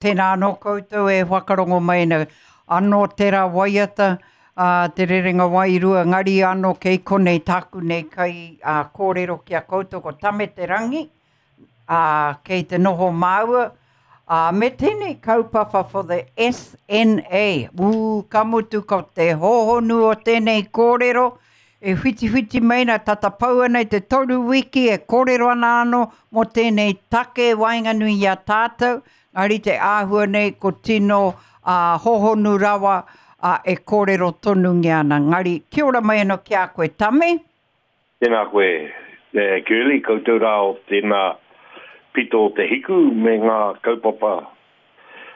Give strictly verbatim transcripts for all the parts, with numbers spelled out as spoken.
Tēnā anō koutou e whakarongo mai ana. Anō tērā waiata, a Te Rerenga Wairua, ngari anō kei konei tāku nei kai a, kōrero ki a koutou ko Tame Te Rangi, a, kei te noho māua, a, me tēnei kaupapa for the S N A. Ū, ka mutu ko te hōhonu o tēnei kōrero, e whitiwhiti mai ana, tata pau ana i te toru wiki e kōrero ana anō mō tēnei take waenganui i a tātou, ngari te āhua nei ko tino uh, hōhonu rawa uh, e kōrero tonungia ana. Ngari, kia ora mai anō ki a koe, Tame? Tēnā koe, e, Girlie, koutou rā o tēnā pito o te hiku me ngā kaupapa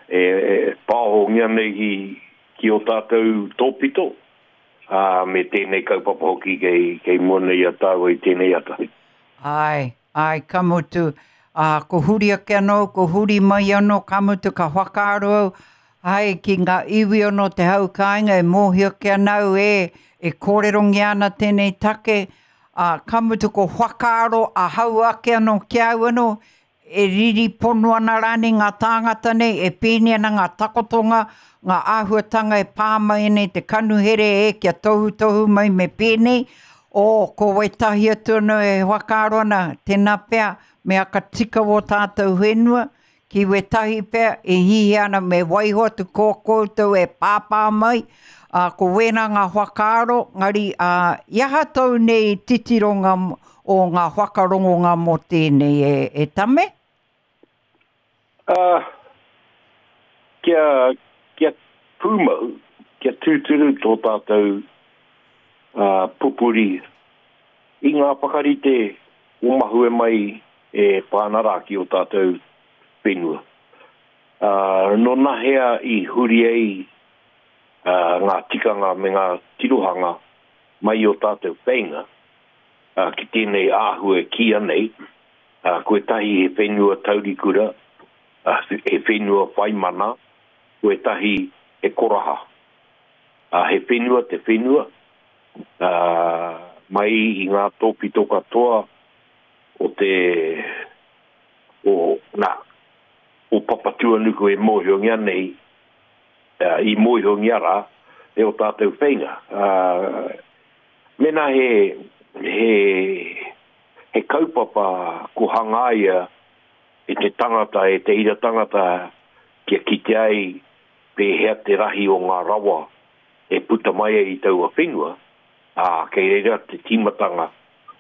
e, e pāhongia nei ki, ki o tātou tōpito, ā, me tēnei kaupapa hoki kei, kei mua nei a tāua i tēnei ata. Ai, ai, ka mutu, ā, ko huri ake anō, ko huri mai anō, ka mutu ka whakaaro au, ai, ki ngā iwi anō te hau kāinga e mōhio ki anau e, e kōrerongia ana tēnei take, ā, ka mutu ko whakaaro a hau ake anō ki au anō, e riri pono ana rānei ngā tāngata nei, e pēni ana ngā takotonga, ngā āhuatanga e pā mai nei te kanuhere e kia tohutohu mai me pēnei, o ko wetahi atu anō e whakaaro ana, tēnā pea, me aka tika o tātou whenua, ki wetahi pea e hihi ana me waiho atu ko koutou e pāpā mai, ā, ko wēnā ngā whakaaro, ngari, ā, i aha tau nei titironga o ngā whakarongonga mō tēnei e, e Tame? Uh, kia, kia pūmau, kia tūturu tō tātou uh, pupuri i ngā whakarite o mahue mai e pāna rā ki o tātou whenua. Uh, nō nahea i huri ai uh, ngā tikanga me ngā tirohanga mai o tātou whainga, uh, ki tēnei āhua e kīia nei, uh, koe tahi he whenua taurikura, uh, he whenua whaimana, koe tahi he koraha. Uh, he whenua te whenua, uh, mai i ngā tōpito katoa o te o, nā, o Papatuanuku e mōhiongia nei, uh, i mōhiongia rā, e o tātou whainga. Uh, mena he, he, he kaupapa ko hangaia e te tangata, e te ira tangata, kia kite ai pēhea te rahi o ngā rawa e puta mai ai i taua whenua, ā, kei reira te tīmatanga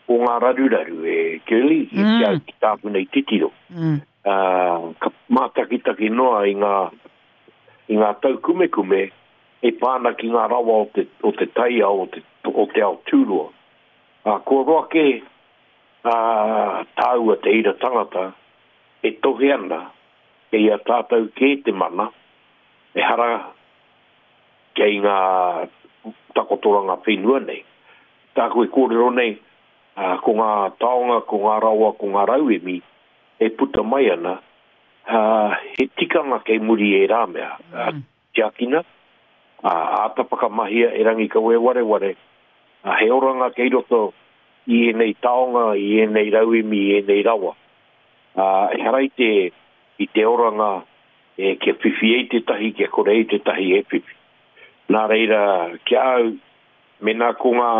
o ngā raruraru e Girlie, mm. i kia ki tāku nei titiro. Mm. Uh, ka mātakitaki noa i ngā, i ngā taukumekume e pāna ki ngā rawa o te, o te taiao, o te, o te ao tūroa. Uh, kua roa ke uh, tāua te ira tangata e tohe ana kei a tātou kē te mana, e hara kei ngā takotoranga whenua nei. Tāku e kōrero nei, uh, ko ngā taonga, ko ngā rawa, ko ngā rauemi e puta mai ana, uh, he tikanga kei muri e rā mea. Mm. Uh, tiakina, uh, āta whakamahia e rangi kawe wareware, uh, he oranga kei roto i ēnei taonga, i ēnei rauemi, i ēnei rawa. Uh, e harai te, i te oranga e, kia whiwhi ei te tahi, kia kore ei te tahi e whiwhi. Nā reira, kia au, mena ko ngā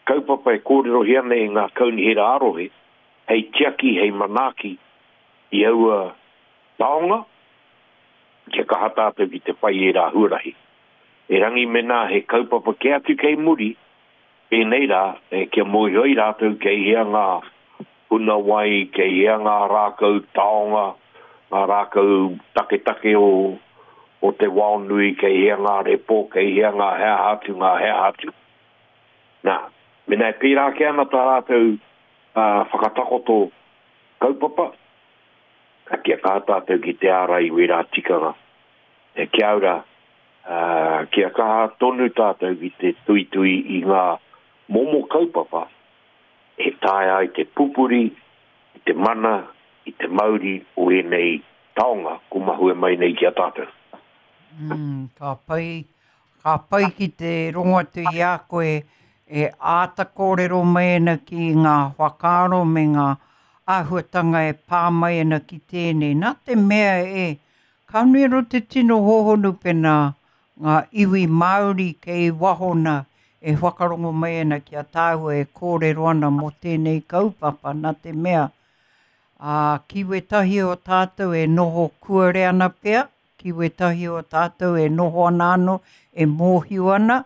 kaupapa e kōrerohia nei ngā kaunihera arohe, hei tiaki, hei manaaki i aua taonga, kia kaha tātou ki te whai e rā huarahi. E rangi mena he kaupapa ke atu kei muri, pēnei rā, e, kia mōhio ai rātou kei hea ngā huna wai, kei hea ngā rākau taonga, ngā rākau taketake o, o te waonui, kei hea ngā repo, kei hea ngā hea atu, ngā hea atu. Nā, mena e pērā ke ana tā rātou uh, whakatakoto kaupapa, kia kaha tātou ki te ārai i wērā tikanga. E kia ora, uh, kia kaha tonu tātou ki te tuitui i ngā momo kaupapa e taea ai te pupuri, i te mana, i te mauri o ēnei taonga ko mahue mai nei ki a tātou. Mm, ka pai, ka pai ki te rongo atu i a koe e āta kōrero mai ana ki ngā whakaaro me ngā āhuatanga e pā mai ana ki tēnei. Nā te mea e Ka nui anō te tino hōhonu pēnā ngā iwi Māori kei waho nā e whakarongo mai ana ki a tāua e kōrero ana mō tēnei kaupapa nā te mea ā, ki wētahi o tātou e noho kuare ana pea, ki wētahi o tātou e noho ana anō, e mōhio ana,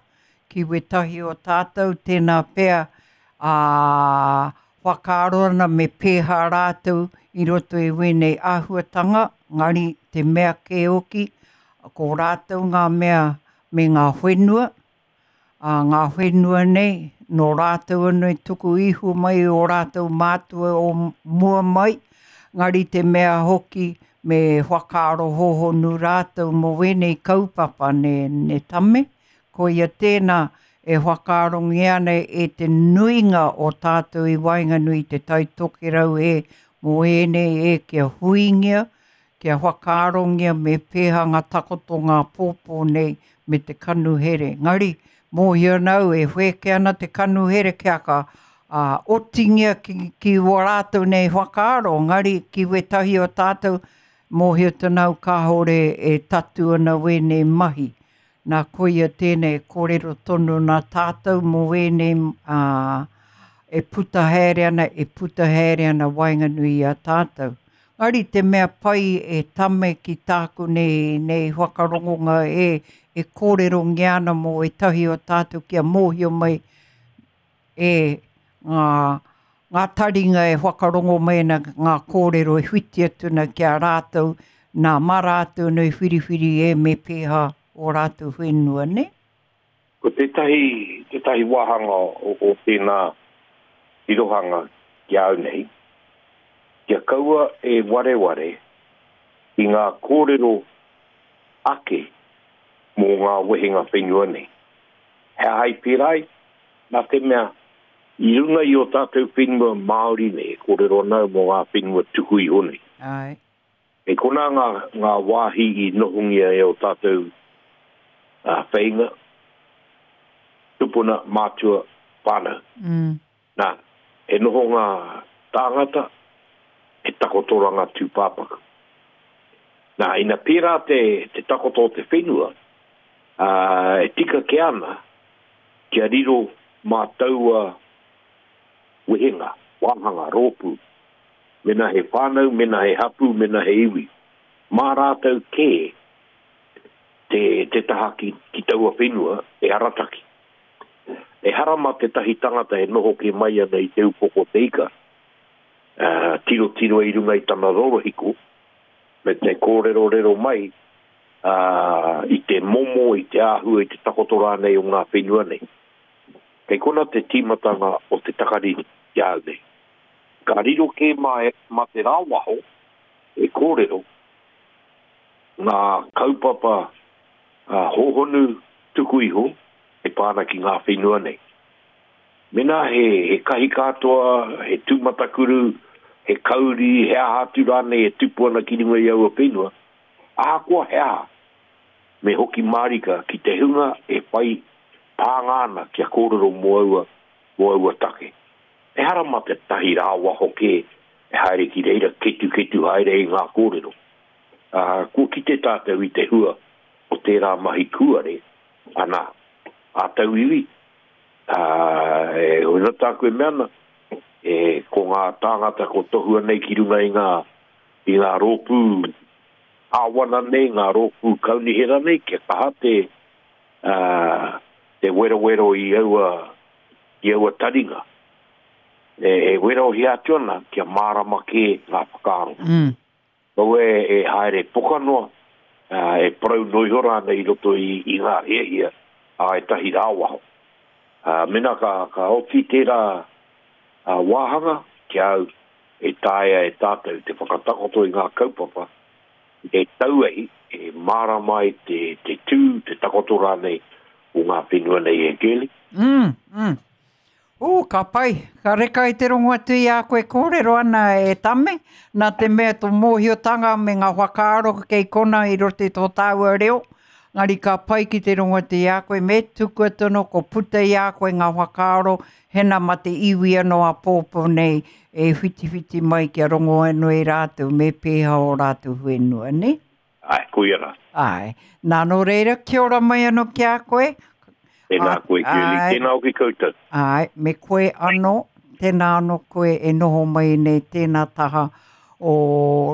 ki wētahi o tātou tēnā pea ā, whakaaro ana me pēhā rātou i roto i wēnei āhuatanga, ngari te mea kē hoki, ko rātou ngā mea me ngā whenua, ā, ngā whenua nei, nō rātou anō i tuku iho mai o rātou mātua o mua mai, ngari te mea hoki me whakaaro hōhonu rātou mō wēnei kaupapa ne, ne tame, koia tēnā e whakaarongia ana e te nuinga o tātou i waenganui i te Tai Tokerau e mō ēnei e kia huingia, kia whakaarongia me pēhā ngā takoto ngā pōpō nei me te kanuhere. Ngari, mōhio ana au e whēke ana te kanuhere kia ka uh, otingia ki, ki wā rātou nei whakaaro, ngari ki wētahi o tātou mōhio tonu au kāore e tatu ana wēnei mahi. Nā koia tēnei kōrero tonu nā tātou mō wēnei uh, e puta haere ana, e puta haere ana waenganui i a tātou. Ngari te mea pai e tame ki tāku nei, nei whakarongonga e, e kōrerongia ana mō ētahi o tātou kia mōhio mai e ngā, ngā taringa e whakarongo mai ana ngā kōrero e whiti atu ana ki a rātou, nā mā rātou nei whiriwhiri e me pēhā o rātou whenua, ne? Ko tētahi, tētahi wāhanga o, o tēnā tirohanga ki au nei, kia kaua e wareware i ngā kōrero ake mō ngā wehenga whenua nei. He aha i pērā ai, nā te mea, i runga i o tātou whenua Māori nei, kōrero ana mō ngā whenua tuku iho nei. Ai. E kona ngā, ngā wāhi i nohongia e o tātou uh, wheinga, tupuna, mātua, whānau. Mm. Nā, e noho ngā tāngata, e takotoranga tūpāpaku. Nā, ina pērā te, te takoto o te whenua, uh, e tika ke ana, kia riro mā taua wehenga, wāhanga, rōpū, mena he whānau, mena he hapu, mena he iwi. Mā rātou kē te, te taha ki, ki taua whenua e arataki. E hara mā tētahi tangata e noho ke mai ana i te upoko te ika, uh, tiro tiro i runga i tana rorohiko, me te kōrero rero mai uh, i te momo, i te āhua, i te takoto rānei o ngā whenua nei. Kei kona te tīmatanga o te takariri ki au nei. Ka riro kē mā, e, mā te rāwaho e kōrero ngā kaupapa uh, hōhonu tuku iho e pāna ki ngā whenua nei. Mena he, he kahi katoa, he tūmatakuru, he kauri, he aha atu rānei e tupu ana ki runga i aua whenua, ahakoa he aha, me hoki mārika ki te hunga e whai pānga ana kia kōrero mō aua, mō aua take. Ehara mā te tahi rāwaho kē e haere ki reira ketu ketu haere i ngā kōrero. Uh, kua kite tātou i te hua o tērā mahi kuare, ana, a tauiwi, uh, e hoi tāku e mea ana, e, ko ngā tāngata ko tohua nei ki runga i ngā, i ngā rōpū āwana nei, ngā rōpū kaunihera nei, kia kaha te, uh, te werowero i aua, i aua taringa. E, e werohia atu ana kia mārama kē ngā whakaaro. Mm. Kaua e, e haere poka noa, uh, e parau noa iho rānei i roto i, i ngā hiahia a ētahi rāwaho. Uh, mena ka, ka oti tērā uh, wāhanga ki au e taea e tātou te whakatakoto i ngā kaupapa e tauehi, e mārama ai te, te tū, te takoto rānei o ngā whenua nei e Girlie. Mm, mm. Ū, ka pai, ka reka i te rongo atu i a koe kōrero ana e tame, nā te mea tō mōhiotanga me ngā whakaaro kei kona i roto i tō tāua reo, ngari ka pai ki te rongo atu i a koe, me tukua tono ko puta i a koe ngā whakaaro, hena ma te iwi anō a pōpō nei e whitiwhiti mai kia rongo anō e rātou, me pēhā o rātou whenua, ne? Ai, koia rā. Ai. Nā, nō reira, kia ora mai anō ki a koe. Tēnā koe, Shirley. Tēnā hoki koutou. Ai, me koe anō, tēnā anō koe e noho mai nei tēnā taha o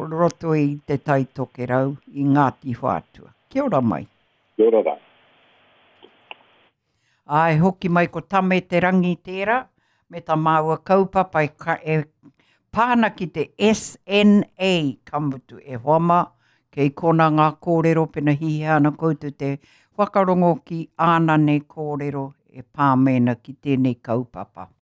roto i te Tai Tokerau, i Ngāti Whātua. Kia ora mai. Kia ora rā. Ai, hoki mai ko Tame Te Rangi tērā, me tā māua kaupapa e, ka, e pāna ki te S N A, ka mutu e hoa mā, kei kona ngā kōrero pena hihia ana koutou te whakarongo ki āna nei kōrero e pā mena ki tēnei kaupapa.